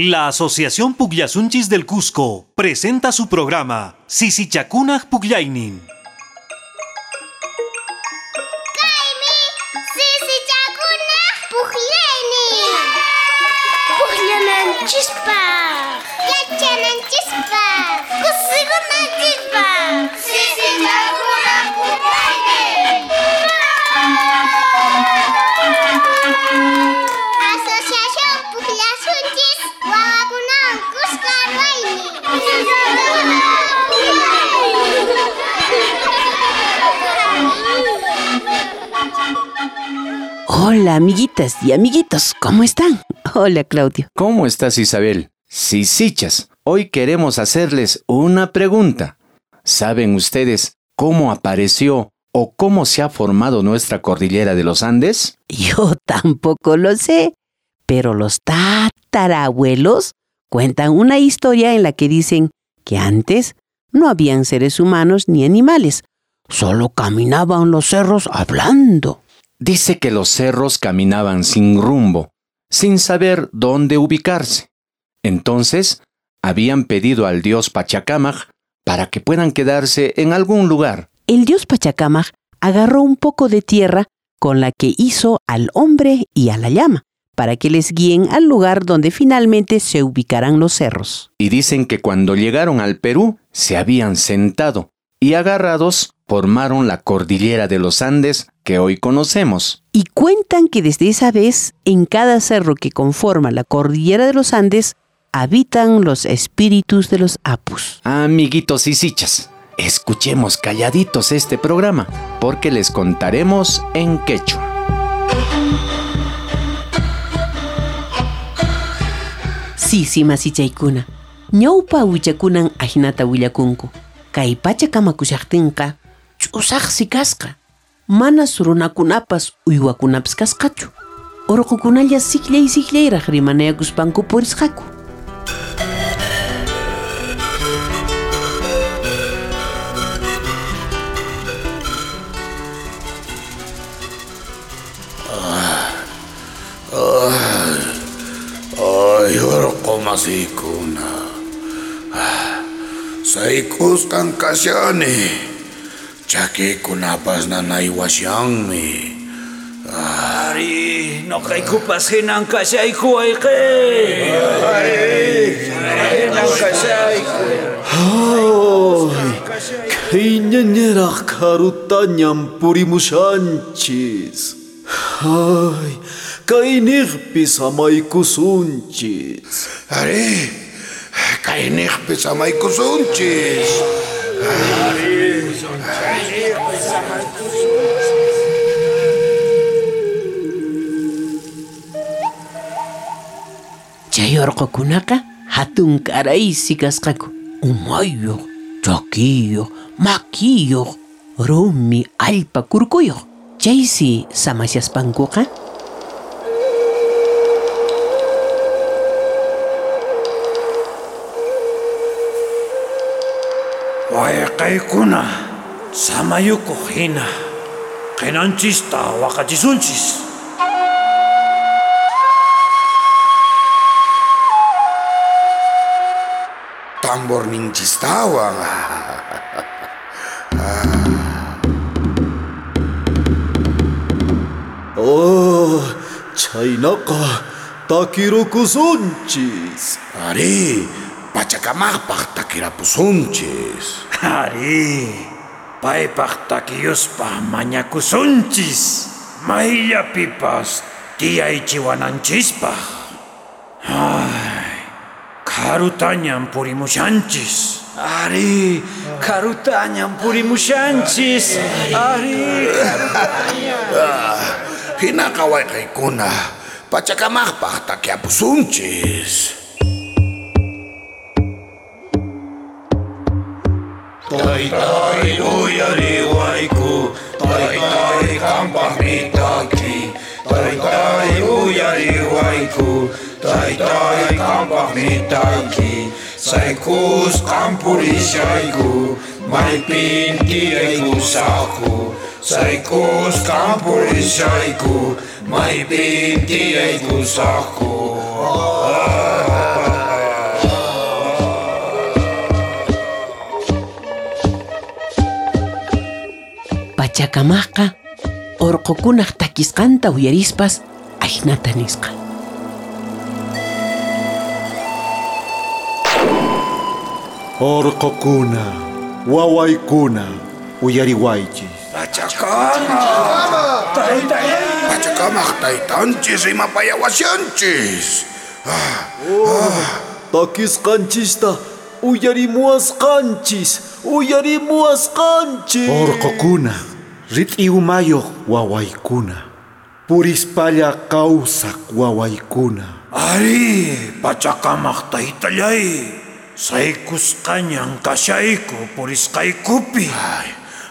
La Asociación Pugllasunchis del Cusco presenta su programa Sisichakunaj Pugllaynin. Kaymi Sisichakunaj Pugllaynin. Pugllananchispaj, yachananchispaj, kusikunanchispaj. Sisichakunaj Pugllaynin. Asociación Pugllasunchis wawakunawan kuska ruwaynin. Hola, amiguitas y amiguitos, ¿cómo están? Hola, Claudio. ¿Cómo estás, Isabel? Sisichas, hoy queremos hacerles una pregunta. ¿Saben ustedes cómo apareció o cómo se ha formado nuestra cordillera de los Andes? Yo tampoco lo sé, pero los tatarabuelos cuentan una historia en la que dicen que antes no habían seres humanos ni animales, solo caminaban los cerros hablando. Dice que los cerros caminaban sin rumbo, sin saber dónde ubicarse. Entonces, habían pedido al dios Pachacamac para que puedan quedarse en algún lugar. El dios Pachacamac agarró un poco de tierra con la que hizo al hombre y a la llama, para que les guíen al lugar donde finalmente se ubicarán los cerros. Y dicen que cuando llegaron al Perú, se habían sentado y agarrados formaron la cordillera de los Andes que hoy conocemos. Y cuentan que desde esa vez, en cada cerro que conforma la cordillera de los Andes, habitan los espíritus de los apus. Amiguitos y sichas, escuchemos calladitos este programa, porque les contaremos en quechua. Sisi masichaykuna, ñawpa wichakunan ajinata willakunku. Kay pacha kamakushaqtinqa ch'usaqsi kasqa. Manas runakunapas uywakunapas kasqachu. Urqukunalla sikllay sikllayraq rimanayakuspanku purisqaku. Ay, urqu masiykuna. Saykusqan kashani. Chakiykunapas nanaywashanmi. Ari, noqaykupas hinan kashayku wayqi. Hinan kashayku. Ay, khayñañaraq karutañam purimushanchis. Ay, kayniqpi samaykusunchis. Ari, kayniqpi samaykusunchis. Chay urqukunaqa hatun karaysi kasqaku. Umayuq, chakiyuq, makiyuq, rumi allpa kurkuyuq. Chaysi samashaspankuqa Wayqaykuna, samayukuq hina, qinanchista waqachisunchis. Tamborninchistawan. Oh, chaynaqa takirukusunchis. Ari, Pachacamaqpaq takirapusunchis. Ari, paypaq takiyuspa mañakusunchis. Mayllapipas tiyaychiwananchispaq. Ay, karutañam purimushanchis. Ari, karutañam purimushanchis. Ari, karutañam. Hinaqa wayqaykuna, Pachacamaqpaq takiapusunchis. Taytay uyariwayku, taytay qampaqmi taki. Taytay uyariwayku, taytay qampaqmi taki. Saykusqan purishayku, maypin tiyaykusaqku. Saykusqan purishayku, maypin tiyaykusaqku. Pachakamaqqa orqokunaq takisqanta uyarispas ajnata nisqa. Orqokuna, wawaykuna, uyariwaychis. Pachakamaq! Pachakamaq taytanchis rimapayawashanchis. Takisqanchista uyarimuwasqanchis, uyarimuwasqanchis. Orqokuna, rit'i umayuq wawaykuna, purispalla kawsaq wawaykuna. Ari, Pachakamaq taytallay, saykusqañan kashayku purisqaykupi.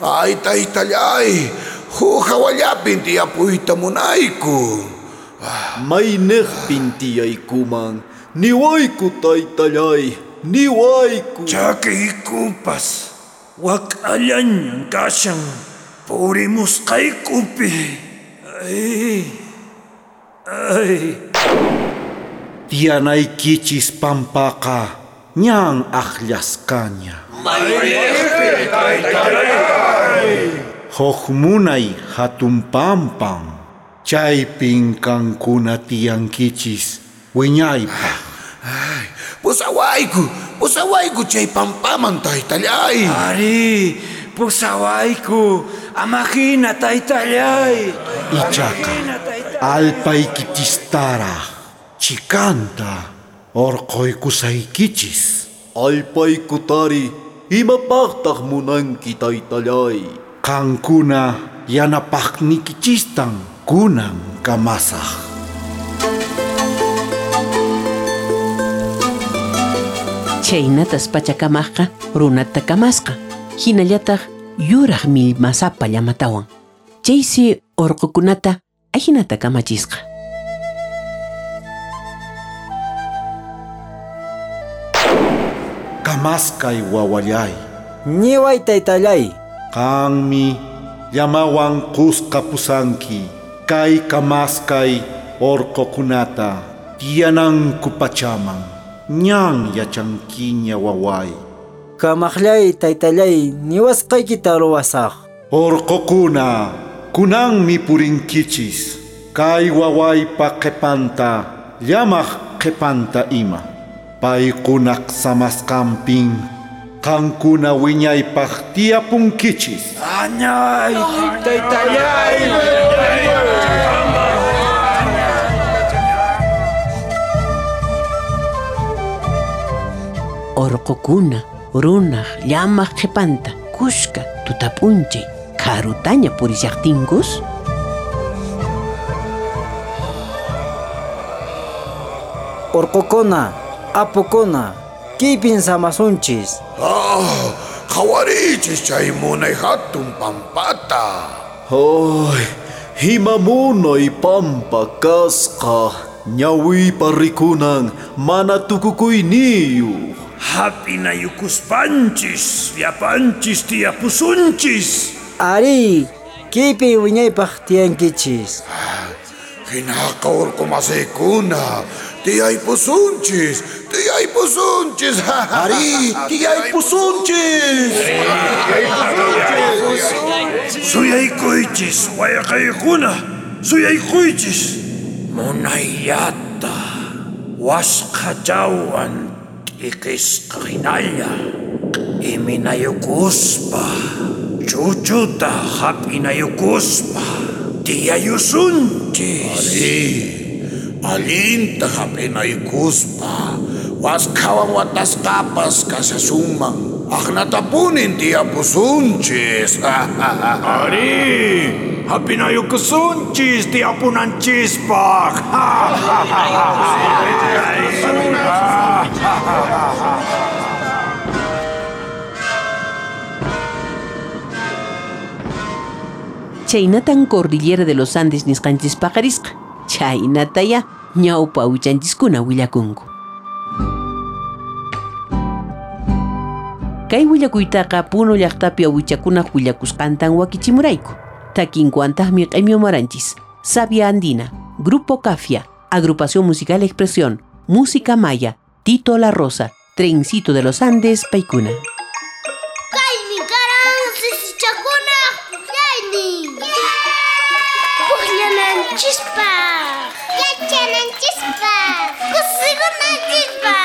Ay, taytallay, huk hawallapin tiyapuyta munayku. Mayniqpin tiyaykuman, niwayku taytallay, niwayku. Chakiykupas wak'allañan kashan purimusqaykupi. Ay, ay. Tiyanaykichis pampaqa ñan aqllasqaña. Mayniqpi taytallay. Huk munay hatun pampan, chaypin kankuna tiyankichis wiñaypaq. Pusawayku, pusawayku chay pampaman taytallay. Ari, pusawayku, amahina taytallay. Ichaqa alpaykichistaraq chikanta orqoykusaykichis. Alpaykutari, imapaqtaq munanki taytallay? Qankuna yanapaqniykichistan kunan kamasaq. Chaynatas Pachakamaqqa runata kamasqa, hinallataq yuraq millmasapa llamatawan. Chaysi orqokunata ajinata kamachisqa. Kamaskay wawallay. Niway taytallay. Qanmi llamawan kusqa pusanki kay kamaskay orqokunata tiyananku pachaman. Ñan yachankiña waway. Kamaqllay taytallay, niwasqaykita ruwasaq. Orqokuna, kunanmi purinkichis kay wawaypa qhipanta, llamaq qhipanta ima. Paykunaq samasqanpin qankuna wiñaypaq tiyapunkichis. Añay, taytallay. Orqokuna, runaq, llamaq qhipanta, kushka, tutap'unchay, karutaña purishaqtinkus. Orqokuna, apukuna, kaypin samasunchis. Qhawarichis chay munay hatun pampata. Ay, ima munay pampa kasqa, ñawiypa rikunan mana tukukuyniyuq. Hap'inayukuspanchis, llapanchis tiyapusunchis. Ari, kaypi wiñaypaq tiyankichis. Hinaqa orqomasiykuna, tiyaypusunchis, tiyaypusunchis. Ari, tiyaypusunchis. Suyaykuychis, wayqaykuna, suyaykuychis. Munayllata wasqhachawan t'iqisqa hinalla, iminayukuspa, chuchuta hap'inayukuspa, tiyayusunchis. Ari, allinta hap'inayukuspa, waskhawan watasqapas kashasunman, aqnatapunin tiyapusunchis. Ari, hap'inayukusunchis tiyapunanchispaq. Chaynatan Cordillera de los Andes nisqanchis paqarisqa. Chaynataya ñawpa awichanchiskuna willakunku. Kay willakuytaqa Puno llaqtapi awichakunaq willakusqantan wakichimurayku. Takinkuantaqmi q'imiumaranchis. Sabia Andina, Grupo Cafia, Agrupación Musical Expresión, Música Maya, Tito La Rosa, Trencito de los Andes, Paikuna. Kaymi karan sisichakunaq pukllaynin. Pukllananchispaq, yachananchispaq, kusikunanchispaq.